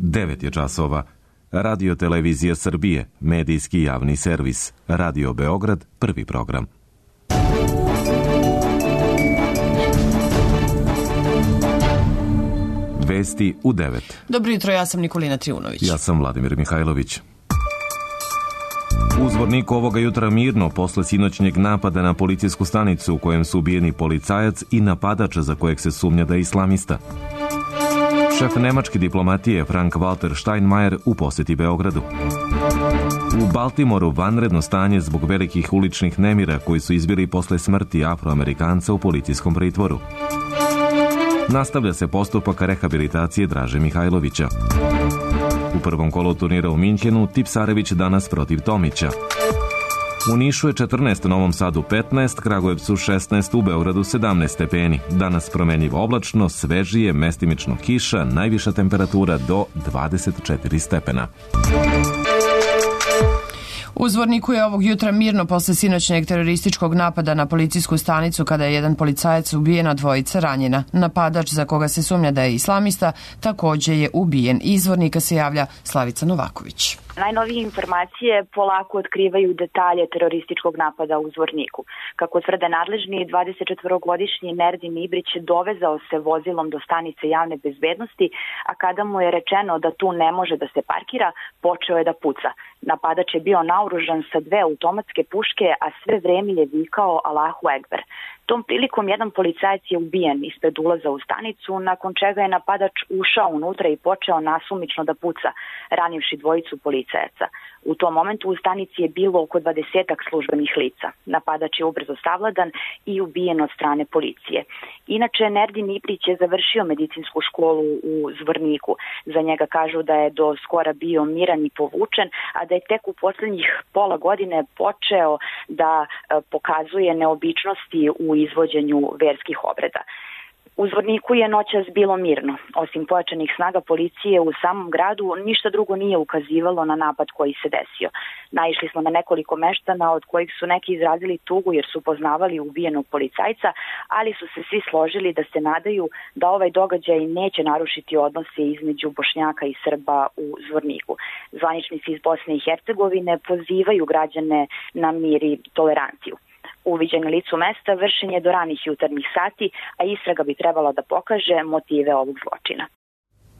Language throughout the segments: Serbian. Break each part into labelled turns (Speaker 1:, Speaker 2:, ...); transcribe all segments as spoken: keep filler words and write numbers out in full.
Speaker 1: devet je časova. Radio Televizija Srbije, medijski javni servis. Radio Beograd, prvi program. Vesti u devet.
Speaker 2: Dobro jutro, ja sam Nikolina Triunović.
Speaker 1: Ja sam Vladimir Mihajlović. U Zvorniku ovoga jutra mirno posle sinoćnjeg napada na policijsku stanicu u kojem su ubijeni policajac i napadač za kojeg se sumnja da je islamista. Šef nemačke diplomatije Frank-Walter Steinmeier u poseti Beogradu. U Baltimoru vanredno stanje zbog velikih uličnih nemira koji su izbili posle smrti Afroamerikanca u policijskom pritvoru. Nastavlja se postupak rehabilitacije Draže Mihajlovića. U prvom kolu turnira u Minhenu Tipsarević danas protiv Tomića. U Nišu je četrnaest, u Novom Sadu petnaest, Kragujevcu šesnaest, u Beogradu sedamnaest stepeni. Danas promenljivo oblačno, svežije, mestimično kiša, najviša temperatura do dvadeset četiri stepena.
Speaker 2: U Zvorniku je ovog jutra mirno posle sinoćnjeg terorističkog napada na policijsku stanicu kada je jedan policajac ubijen, a dvojica ranjena. Napadač za koga se sumnja da je islamista takođe je ubijen. Iz Zvornika se javlja Slavica Novaković.
Speaker 3: Najnovije informacije polako otkrivaju detalje terorističkog napada u Zvorniku. Kako tvrde nadležni, dvadesetčetvorogodišnji Nerdin Ibrić dovezao se vozilom do stanice javne bezbednosti, a kada mu je rečeno da tu ne može da se parkira, počeo je da puca. Napadač je bio naoružan sa dve automatske puške, a sve vreme je vikao Allahu Ekber. Tom prilikom jedan policajac je ubijen ispred ulaza u stanicu, nakon čega je napadač ušao unutra i počeo nasumično da puca, ranivši dvojicu policajaca. U tom momentu u stanici je bilo oko dvadesetak službenih lica. Napadač je ubrzo savladan i ubijen od strane policije. Inače, Nerdin Ibrić je završio medicinsku školu u Zvorniku. Za njega kažu da je do skora bio miran i povučen, a da je tek u poslednjih pola godine počeo da pokazuje neobičnosti u izvođenju verskih obreda. U Zvorniku je noćas bilo mirno. Osim pojačanih snaga policije u samom gradu, ništa drugo nije ukazivalo na napad koji se desio. Naišli smo na nekoliko meštana od kojih su neki izrazili tugu jer su poznavali ubijenog policajca, ali su se svi složili da se nadaju da ovaj događaj neće narušiti odnose između Bošnjaka i Srba u Zvorniku. Zvaničnici iz Bosne i Hercegovine pozivaju građane na mir i toleranciju. Uviđaj na licu mesta vršen je do ranih jutarnjih sati, a istraga bi trebala da pokaže motive ovog zločina.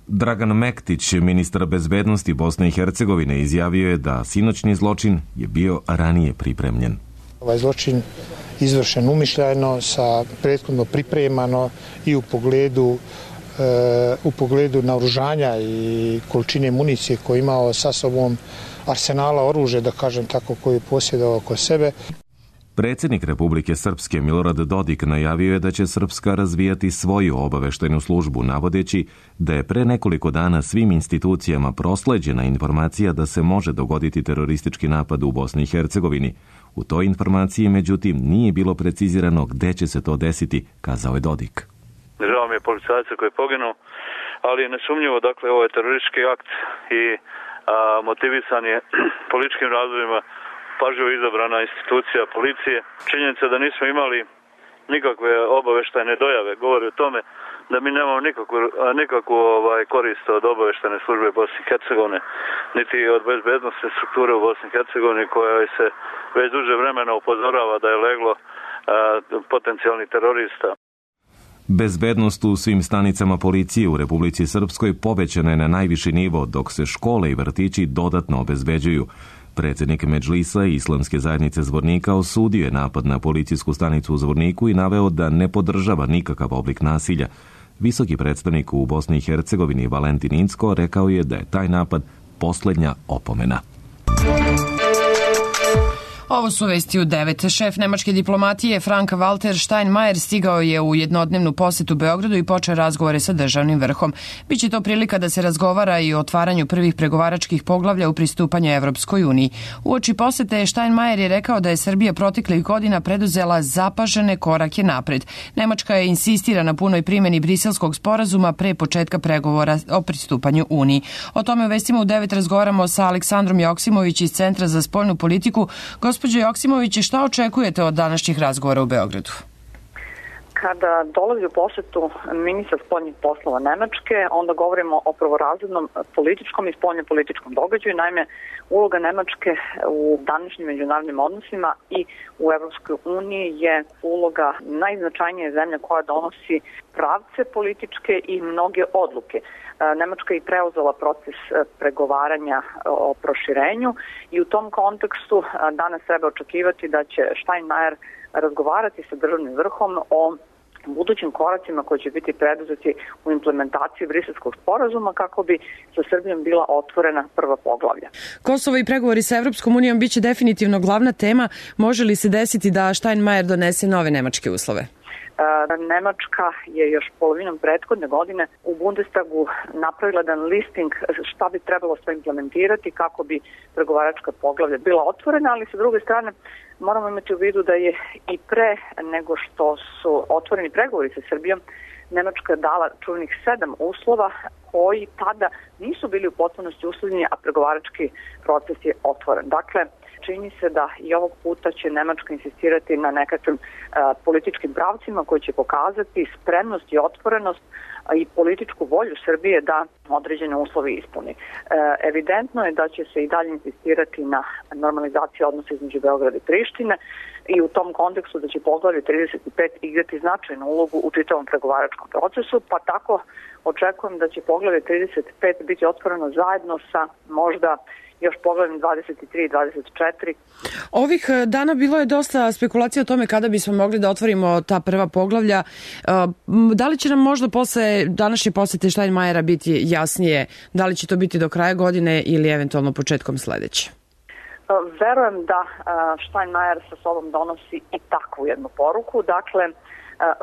Speaker 1: Dragan Mektić, ministar bezbednosti Bosne i Hercegovine, izjavio je da sinoćni zločin je bio ranije pripremljen.
Speaker 4: Ovaj zločin izvršen umišljajno, sa prethodno pripremano i u pogledu e, u pogledu naoružanja i količine municije koju je imao sa sobom, arsenala oružja, da kažem tako, koju je posjedovao oko sebe.
Speaker 1: Predsjednik Republike Srpske Milorad Dodik najavio je da će Srpska razvijati svoju obaveštajnu službu, navodeći da je pre nekoliko dana svim institucijama prosleđena informacija da se može dogoditi teroristički napad u Bosni i Hercegovini. U toj informaciji, međutim, nije bilo precizirano gde će se to desiti, kazao je Dodik.
Speaker 5: Žao mi je policajca koji je poginuo, ali je nesumnjivo, dakle, ovo je teroristički akt i a, motivisan je političkim razvojima, pažljivo izabrana institucija policije. Činjenica da nismo imali nikakve obaveštajne dojave govori o tome da mi nemamo nikakvu, nikakvu ovaj, korist od obaveštajne službe Bosne i Hercegovine, niti od bezbednostne strukture u Bosni i Hercegovini koja se već duže vremena upozorava da je leglo a, potencijalnih terorista.
Speaker 1: Bezbednost u svim stanicama policije u Republici Srpskoj povećana je na najviši nivo, dok se škole i vrtići dodatno obezbeđuju. Predsjednik Medžlisa i Islamske zajednice Zvornika osudio je napad na policijsku stanicu u Zvorniku i naveo da ne podržava nikakav oblik nasilja. Visoki predstavnik u Bosni i Hercegovini Valentin Incko rekao je da je taj napad posljednja opomena.
Speaker 2: Ovo su vesti u devet. Šef nemačke diplomatije Frank-Walter Steinmeier stigao je u jednodnevnu posetu Beogradu i počeo razgovore sa državnim vrhom. Biće to prilika da se razgovara i o otvaranju prvih pregovaračkih poglavlja u pristupanju Evropskoj uniji. Uoči posete Steinmeier je rekao da je Srbija proteklih godina preduzela zapažene korake napred. Nemačka je insistira na punoj primjeni Briselskog sporazuma pre početka pregovora o pristupanju Uniji. O tome u vestima u devet razgovaramo sa Aleksandrom Joksimović iz Centra za spoljnu politiku. Gospođo Joksimović, šta očekujete od današnjih razgovora u Beogradu?
Speaker 6: kada dolazi u posetu ministar spoljnih poslova Nemačke, onda govorimo o prvorazrednom političkom i spoljnopolitičkom događaju. Naime, uloga Nemačke u današnjim međunarodnim odnosima i u Evropskoj uniji je uloga najznačajnije zemlje koja donosi pravce političke i mnoge odluke. Nemačka je preuzela proces pregovaranja o proširenju i u tom kontekstu danas treba očekivati da će Steinmeier razgovarati sa državnim vrhom o budućim koracima koji će biti preduzeti u implementaciji Briselskog sporazuma kako bi sa Srbijom bila otvorena prva poglavlja.
Speaker 2: Kosovo i pregovori sa Evropskom unijom biće definitivno glavna tema. Može li se desiti da Steinmeier donese nove nemačke uslove?
Speaker 6: Nemačka je još polovinom prethodne godine u Bundestagu napravila jedan listing šta bi trebalo sve implementirati kako bi pregovaračka poglavlja bila otvorena, ali sa druge strane moramo imati u vidu da je i pre nego što su otvoreni pregovori sa Srbijom, Nemačka dala čuvenih sedam uslova koji tada nisu bili u potpunosti uslovljeni, a pregovarački proces je otvoren. Dakle, čini se da i ovog puta će Nemačka insistirati na nekakvim a, političkim pravcima koji će pokazati spremnost i otvorenost a, i političku volju Srbije da određene uslove ispuni. E, evidentno je da će se i dalje insistirati na normalizaciji odnosa između Beograda i Prištine i u tom kontekstu da će poglavlje trideset pet igrati značajnu ulogu u čitavom pregovaračkom procesu, pa tako očekujem da će poglavlje trideset pet biti otvoreno zajedno sa možda još poglavljem dvadeset tri i dvadeset četiri.
Speaker 2: Ovih dana bilo je dosta spekulacija o tome kada bismo mogli da otvorimo ta prva poglavlja. Da li će nam možda posle današnje posete Steinmeiera biti jasnije da li će to biti do kraja godine ili eventualno početkom sledeće?
Speaker 6: Verujem da Steinmeier sa sobom donosi i takvu jednu poruku. Dakle,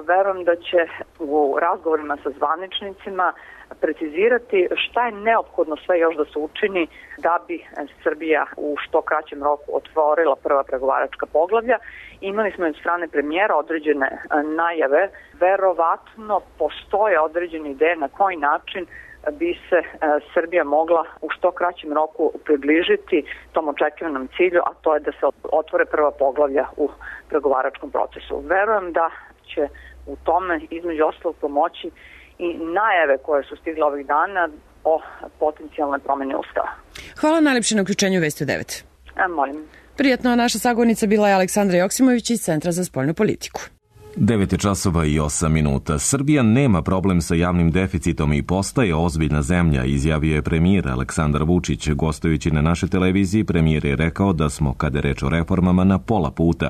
Speaker 6: verujem da će u razgovorima sa zvaničnicima precizirati šta je neophodno sve još da se učini da bi Srbija u što kraćem roku otvorila prva pregovaračka poglavlja. Imali smo od strane premijera određene najave. Verovatno postoje određene ideje na koji način bi se Srbija mogla u što kraćem roku približiti tom očekivanom cilju, a to je da se otvore prva poglavlja u pregovaračkom procesu. Verujem da će u tome između ostalog pomoći i najave koje su stigle ovih dana o potencijalnoj promjeni Ustava.
Speaker 2: Hvala najlepše na uključenju u Vesti u devet.
Speaker 6: A, molim.
Speaker 2: Prijatno, naša sagovornica bila je Aleksandra Joksimović iz Centra za spoljnu politiku.
Speaker 1: devet časova i osam minuta. Srbija nema problem sa javnim deficitom i postaje ozbiljna zemlja, izjavio je premijer Aleksandar Vučić. Gostujući na našoj televiziji, premijer je rekao da smo, kada je reč o reformama, na pola puta.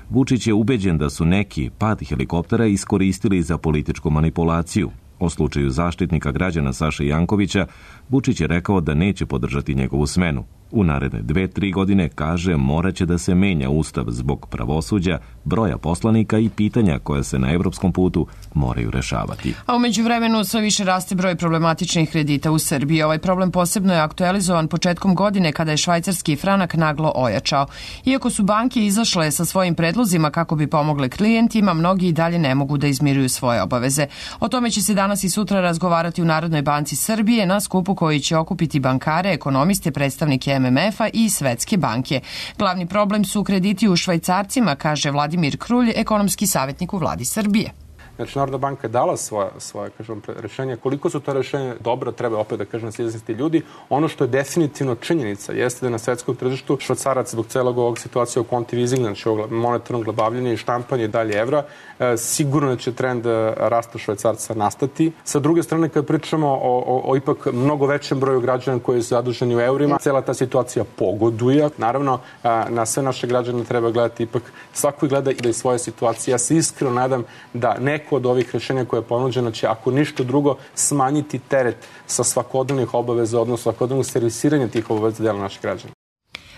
Speaker 1: Vučić je ubeđen da su neki pad helikoptera iskoristili za političku manipulaciju. O slučaju zaštitnika građana Saše Jankovića, Vučić je rekao da neće podržati njegovu smenu. U naredne dve, tri godine, kaže, moraće da se menja ustav zbog pravosuđa, broja poslanika i pitanja koja se na evropskom putu moraju rešavati.
Speaker 2: A umeđu vremenu sve više raste broj problematičnih kredita u Srbiji. Ovaj problem posebno je aktualizovan početkom godine kada je švajcarski franak naglo ojačao. Iako su banke izašle sa svojim predlozima kako bi pomogle klijentima, mnogi i dalje ne mogu da izmiruju svoje obaveze. O tome će se danas i sutra razgovarati u Narodnoj banci Srbije na skupu koji će okupiti bankare, ekonomiste, predstavnike M M F-a i Svetske banke. Glavni problem su krediti u švajcarcima, kaže Vladimir Krulj, ekonomski savjetnik u Vladi Srbije.
Speaker 7: Znači, Narodna banka je dala svoje, svoje kažem, rešenje. Koliko su to rešenje dobro, treba opet da kažem se izjasniti ljudi. Ono što je definitivno činjenica jeste da na svetskom tržištu švajcarac zbog celog ovog situacije o kontivizingu, znači ovog monetarnog glabavljenja i štampanja i dalje evra, e, sigurno će trend rasta švajcarca nastati. Sa druge strane, kad pričamo o, o, o ipak mnogo većem broju građana koji su zaduženi u eurima, cela ta situacija pogoduje. Naravno, a, na sve naše građane treba gledati ipak, svako gleda i da je svoje situacije. Ja se iskreno nadam da neko od ovih rešenja koje je ponuđeno će, ako ništa drugo, smanjiti teret sa svakodnevnih obaveza, odnosno svakodnevnog servisiranja tih obaveza dela naših građana.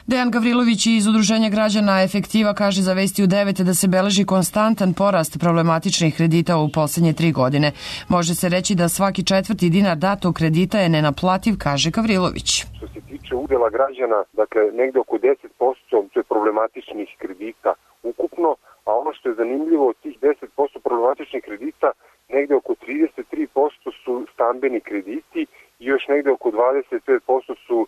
Speaker 2: Dejan Gavrilović iz Udruženja građana Efektiva kaže za Vesti u devet da se beleži konstantan porast problematičnih kredita u poslednje tri godine. Može se reći da svaki četvrti dinar datog kredita je nenaplativ, kaže Gavrilović.
Speaker 8: Što se tiče udela građana, dakle, negde oko deset posto to je problematičnih kredita ukupno, a ono što je zanimljivo od tih deset posto problematičnih kredita, negde oko trideset tri posto su stambeni krediti i još negde oko dvadeset pet posto su,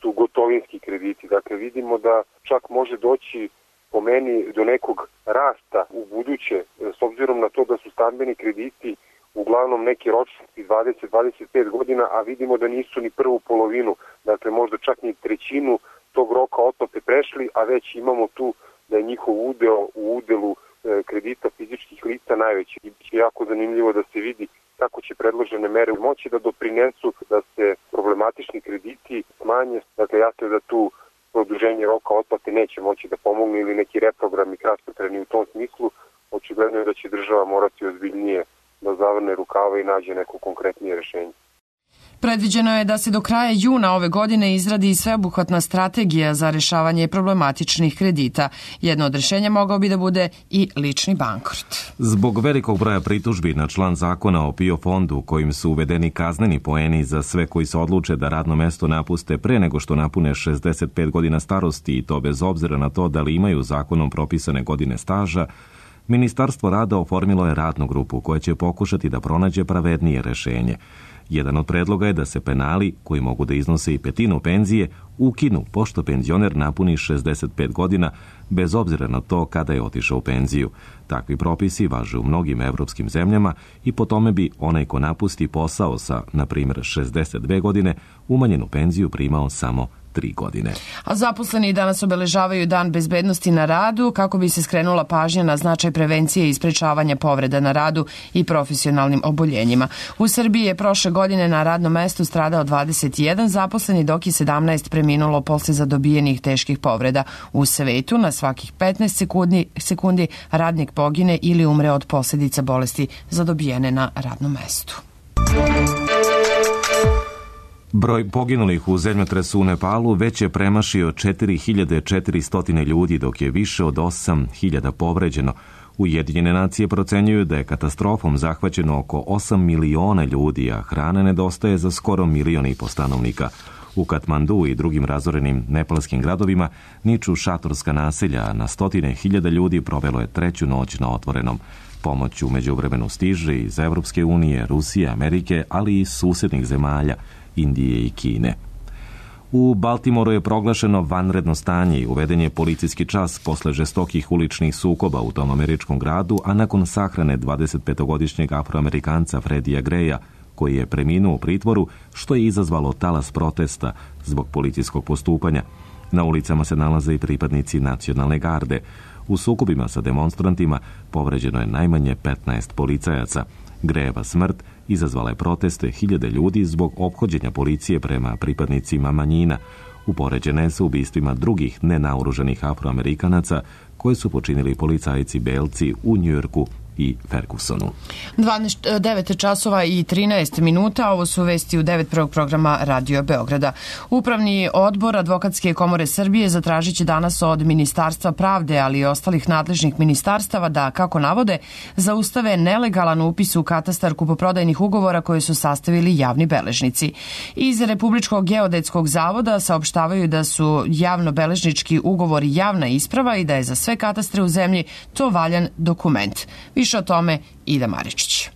Speaker 8: su gotovinski krediti. Dakle, vidimo da čak može doći po meni do nekog rasta u buduće, s obzirom na to da su stambeni krediti uglavnom neki ročnosti dvadeset do dvadeset pet godina, a vidimo da nisu ni prvu polovinu, dakle možda čak ni trećinu tog roka otplate prešli, a već imamo tu da je njihov udeo u udelu kredita fizičkih lica najveći. I biće jako zanimljivo da se vidi kako će predložene mere moći da doprinesu da se problematični krediti smanje. Dakle, jasno je da tu produženje roka otplate neće moći da pomogne ili neki reprogrami kratkotrajni u tom smislu. Očigledno je da će država morati ozbiljnije da zavrne rukava i nađe neko konkretnije rešenje.
Speaker 2: Predviđeno je da se do kraja juna ove godine izradi sveobuhvatna strategija za rešavanje problematičnih kredita. Jedno od rešenja mogao bi da bude i lični bankrot.
Speaker 1: Zbog velikog broja pritužbi na član zakona o P I O fondu kojim su uvedeni kazneni poeni za sve koji se odluče da radno mesto napuste pre nego što napune šezdeset pet godina starosti i to bez obzira na to da li imaju zakonom propisane godine staža, Ministarstvo rada oformilo je radnu grupu koja će pokušati da pronađe pravednije rešenje. Jedan od predloga je da se penali, koji mogu da iznose i petinu penzije, ukinu pošto penzioner napuni šezdeset pet godina, bez obzira na to kada je otišao u penziju. Takvi propisi važe u mnogim evropskim zemljama i po tome bi onaj ko napusti posao sa, na primjer, šezdeset dve godine, umanjenu penziju primao samo tri godine.
Speaker 2: A zaposleni danas obeležavaju Dan bezbednosti na radu kako bi se skrenula pažnja na značaj prevencije i sprečavanja povreda na radu i profesionalnim oboljenjima. U Srbiji je prošle godine na radnom mestu stradao dvadeset jedan zaposleni, dok je sedamnaest preminulo posle zadobijenih teških povreda. U svetu na svakih petnaest sekundi, sekundi radnik pogine ili umre od posljedica bolesti zadobijene na radnom mestu.
Speaker 1: Broj poginulih u zemljotresu u Nepalu već je premašio četiri hiljade četiristo ljudi, dok je više od osam hiljada povređeno. Ujedinjene nacije procenjuju da je katastrofom zahvaćeno oko osam miliona ljudi, a hrane nedostaje za skoro milion i po stanovnika. U Katmandu i drugim razorenim nepalskim gradovima niču šatorska naselja, a na stotine hiljada ljudi provelo je treću noć na otvorenom. Pomoć u međuvremenu stiže iz Evropske unije, Rusije, Amerike, ali i susjednih zemalja, Indije i Kine. U Baltimoru je proglašeno vanredno stanje i uveden je policijski čas posle žestokih uličnih sukoba u tom američkom gradu, a nakon sahrane dvadesetpetogodišnjeg afroamerikanca Freddija Greya, koji je preminuo u pritvoru, što je izazvalo talas protesta zbog policijskog postupanja. Na ulicama se nalaze i pripadnici nacionalne garde. U sukobima sa demonstrantima povređeno je najmanje petnaest policajaca. Grejeva smrt izazvala je proteste hiljade ljudi zbog ophođenja policije prema pripadnicima manjina. Upoređene su ubistvima drugih nenaoružanih afroamerikanaca koje su počinili policajci belci u Njujorku i Fergusonu.
Speaker 2: devet časova i trinaest minuta, ovo su vesti u devet prvog programa Radio Beograda. Upravni odbor Advokatske komore Srbije zatražit će danas od Ministarstva pravde, ali i ostalih nadležnih ministarstava da, kako navode, zaustave nelegalan upis u katastar kupoprodajnih ugovora koje su sastavili javni beležnici. Iz Republičkog geodetskog zavoda saopštavaju da su javno-beležnički ugovori javna isprava i da je za sve katastre u zemlji to valjan dokument. Više o tome Ida Maričić.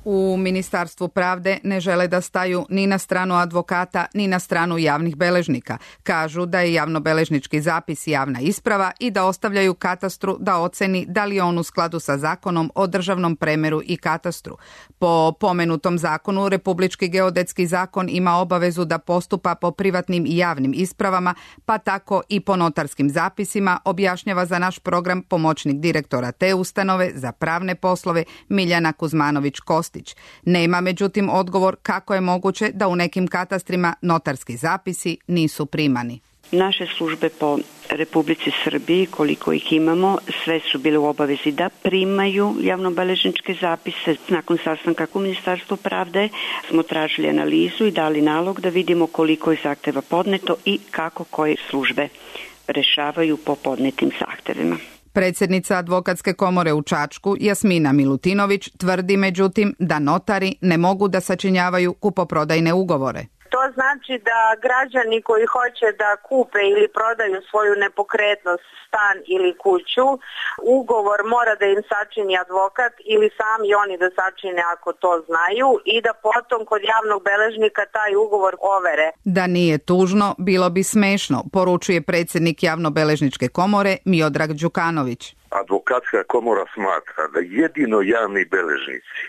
Speaker 9: U Ministarstvu pravde ne žele da staju ni na stranu advokata, ni na stranu javnih beležnika. Kažu da je javnobeležnički zapis javna isprava i da ostavljaju katastru da oceni da li je on u skladu sa zakonom o državnom premeru i katastru. Po pomenutom zakonu, Republički geodetski zakon ima obavezu da postupa po privatnim i javnim ispravama, pa tako i po notarskim zapisima, objašnjava za naš program pomoćnik direktora te ustanove za pravne poslove Miljana Kuzmanović-Kostić. Nema, međutim, odgovor kako je moguće da u nekim katastrima notarski zapisi nisu primani.
Speaker 10: Naše službe po Republici Srbiji, koliko ih imamo, sve su bile u obavezi da primaju javnobeležničke zapise. Nakon sastanka u Ministarstvu pravde smo tražili analizu i dali nalog da vidimo koliko je zahteva podneto i kako koje službe rešavaju po podnetim zahtevima.
Speaker 9: Predsjednica Advokatske komore u Čačku, Jasmina Milutinović, tvrdi međutim da notari ne mogu da sačinjavaju kupoprodajne ugovore.
Speaker 11: To znači da građani koji hoće da kupe ili prodaju svoju nepokretnost, stan ili kuću, ugovor mora da im sačini advokat ili sami oni da sačine ako to znaju i da potom kod javnog beležnika taj ugovor overe.
Speaker 9: Da nije tužno, bilo bi smešno, poručuje predsjednik Javnobeležničke komore Miodrag Đukanović.
Speaker 12: Advokatska komora smatra da jedino javni beležnici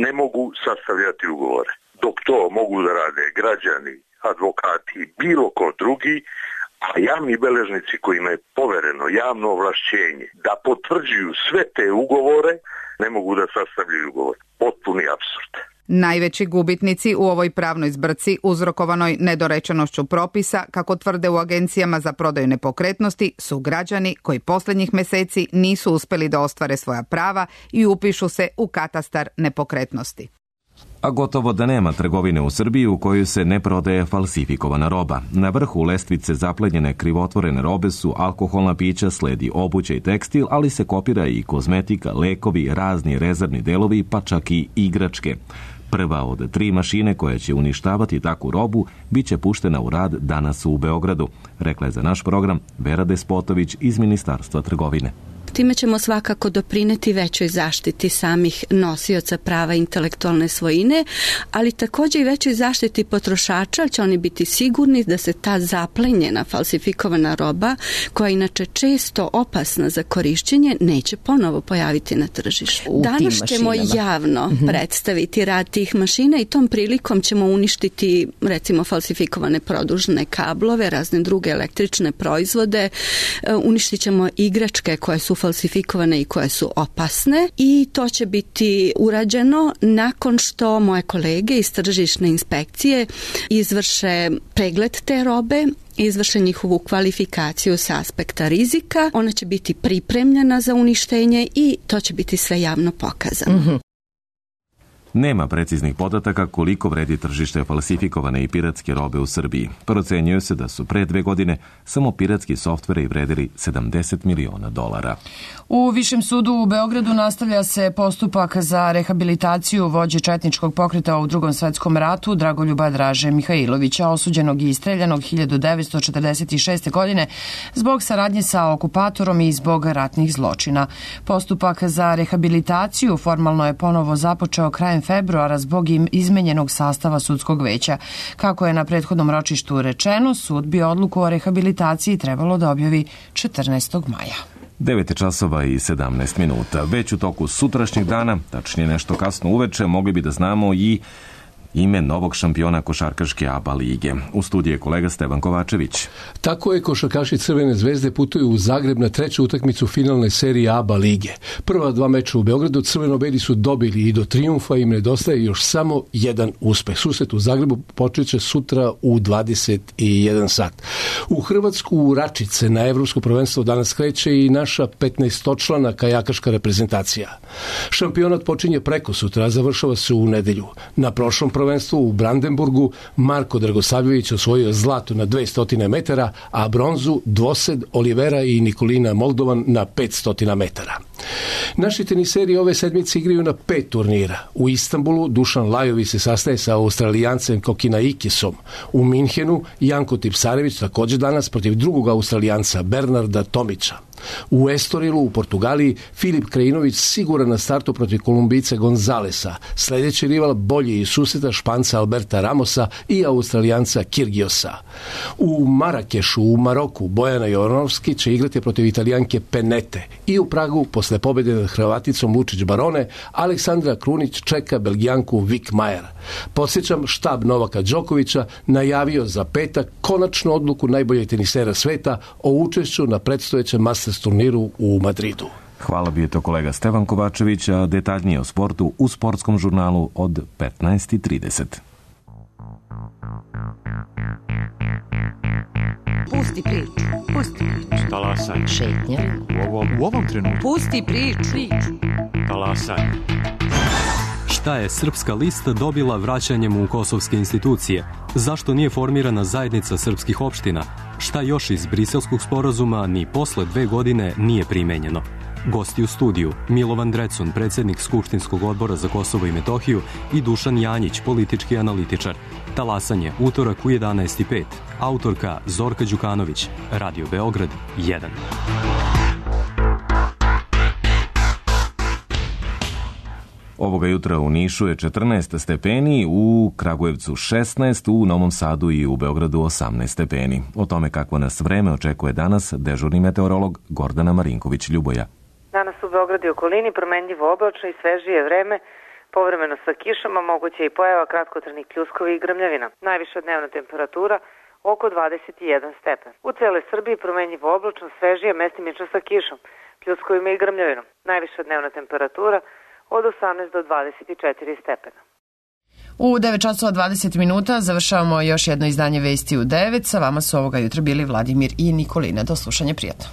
Speaker 12: ne mogu sastavljati ugovore, dok to mogu da rade građani, advokati, bilo ko drugi, a javni beležnici kojima je povereno javno ovlašćenje da potvrđuju sve te ugovore, ne mogu da sastavljaju ugovor. Potpuni apsurd.
Speaker 9: Najveći gubitnici u ovoj pravnoj zbrci uzrokovanoj nedorečenošću propisa, kako tvrde u agencijama za prodaju nepokretnosti, su građani koji posljednjih mjeseci nisu uspjeli da ostvare svoja prava i upišu se u katastar nepokretnosti.
Speaker 1: A gotovo da nema trgovine u Srbiji u kojoj se ne prodaje falsifikovana roba. Na vrhu lestvice zaplenjene krivotvorene robe su alkoholna pića, sledi obuća i tekstil, ali se kopira i kozmetika, lekovi, razni rezervni delovi, pa čak i igračke. Prva od tri mašine koja će uništavati takvu robu bit će puštena u rad danas u Beogradu, rekla je za naš program Vera Despotović iz Ministarstva trgovine.
Speaker 13: Time ćemo svakako doprineti većoj zaštiti samih nosioca prava intelektualne svojine, ali također i većoj zaštiti potrošača, će oni biti sigurni da se ta zaplenjena, falsifikovana roba, koja je inače često opasna za korišćenje, neće ponovo pojaviti na tržištu. Danas ćemo javno mm-hmm. predstaviti rad tih mašina i tom prilikom ćemo uništiti recimo falsifikovane produžne kablove, razne druge električne proizvode, uništit ćemo igračke koje su falsifikovane i koje su opasne i to će biti urađeno nakon što moje kolege iz tržišne inspekcije izvrše pregled te robe, izvrše njihovu kvalifikaciju sa aspekta rizika, ona će biti pripremljena za uništenje i to će biti sve javno pokazano. Mm-hmm.
Speaker 1: Nema preciznih podataka koliko vredi tržište falsifikovane i piratske robe u Srbiji. Procenjuje se da su pre dve godine samo piratski softveri vredili sedamdeset miliona dolara.
Speaker 2: U Višem sudu u Beogradu nastavlja se postupak za rehabilitaciju vođe četničkog pokreta u Drugom svetskom ratu Dragoljuba Draže Mihajlovića, osuđenog i istreljanog hiljadu devetsto četrdeset šeste. godine zbog saradnje sa okupatorom i zbog ratnih zločina. Postupak za rehabilitaciju formalno je ponovo započeo krajem februara zbog izmenjenog sastava sudskog veća. Kako je na prethodnom ročištu rečeno, sud bi odluku o rehabilitaciji trebalo da objavi četrnaestog maja.
Speaker 1: devet časova i sedamnaest minuta. Već u toku sutrašnjeg dana, tačnije nešto kasno uveče, mogli bi da znamo i ime novog šampiona košarkaške A B A lige. U studiju je kolega Stevan Kovačević.
Speaker 14: Tako je, košarkaši Crvene zvezde putuju u Zagreb na treću utakmicu finalne serije A B A lige. Prva dva meča u Beogradu crveno-beli su dobili i do trijumfa im nedostaje još samo jedan uspeh. Susret u Zagrebu počeće sutra u dvadeset jedan sat. U Hrvatsku u Račice na Evropsko prvenstvo danas kreće i naša petnaestočlana kajakaška reprezentacija. Šampionat počinje preko sutra, a završava se u nedelju. Na prošlom prvenstvu u Brandenburgu Marko Dragosavljević osvojio zlato na dvesta metara, a bronzu dvosed Olivera i Nikolina Moldovan na petsto metara. Naši teniseri ove sedmice igraju na pet turnira. U Istanbulu Dušan Lajović se sastaje sa Australijancem Kokinaikisom. U Minhenu Janko Tipsarević također danas protiv drugog Australijanca Bernarda Tomića. U Estorilu u Portugaliji Filip Krajinović siguran na startu protiv Kolumbice Gonzalesa. Sljedeći rival bolji iz susreta Španca Alberta Ramosa i Australijanca Kirgiosa. U Marakešu u Maroku Bojana Jovanovski će igrati protiv Italijanke Penete. I u Pragu posle pobjede nad Hrvaticom Lučić Barone Aleksandra Krunić čeka Belgijanku Vik Majer. Podsjećam, štab Novaka Đokovića najavio za petak konačnu odluku najboljeg tenisera sveta o učešću na predstojećem Masters turniru u Madridu.
Speaker 1: Hvala, bio to kolega Stevan Kovačević, a detaljnije o sportu u sportskom žurnalu od petnaest i trideset.
Speaker 15: Pusti priču, pusti priču.
Speaker 16: Talasaj.
Speaker 15: Šetnja.
Speaker 16: U ovom, u ovom trenutku.
Speaker 15: Pusti priču.
Speaker 16: Talasaj.
Speaker 17: Šta je Srpska lista dobila vraćanjem u kosovske institucije? Zašto nije formirana zajednica srpskih opština? Šta još iz Briselskog sporazuma ni posle dve godine nije primenjeno? Gosti u studiju Milovan Drecun, predsjednik Skupštinskog odbora za Kosovo i Metohiju i Dušan Janjić, politički analitičar. Talasanje, utorak u jedanaest i pet. Autorka Zorka Đukanović. Radio Beograd jedan.
Speaker 1: Ovoga jutra u Nišu je četrnaest stepeni, u Kragujevcu šesnaest, u Novom Sadu i u Beogradu osamnaest stepeni. O tome kakvo nas vreme očekuje danas dežurni meteorolog Gordana Marinković-Ljuboja.
Speaker 18: Danas u Beogradu i okolini promenljivo oblačno i svežije vreme, povremeno sa kišama, moguće i pojava kratkotrajnih pljuskovi i grmljavina. Najviša dnevna temperatura oko dvadeset jedan stepen. U celoj Srbiji promenljivo oblačno, svežije, mestimično sa kišom, pljuskovima i grmljavinom. Najviša dnevna temperatura od osamnaest do dvadeset četiri stepena.
Speaker 2: U devet časova dvadeset minuta završavamo još jedno izdanje Vesti u devet. Sa vama su ovoga jutra bili Vladimir i Nikolina. Do slušanja, prijatno.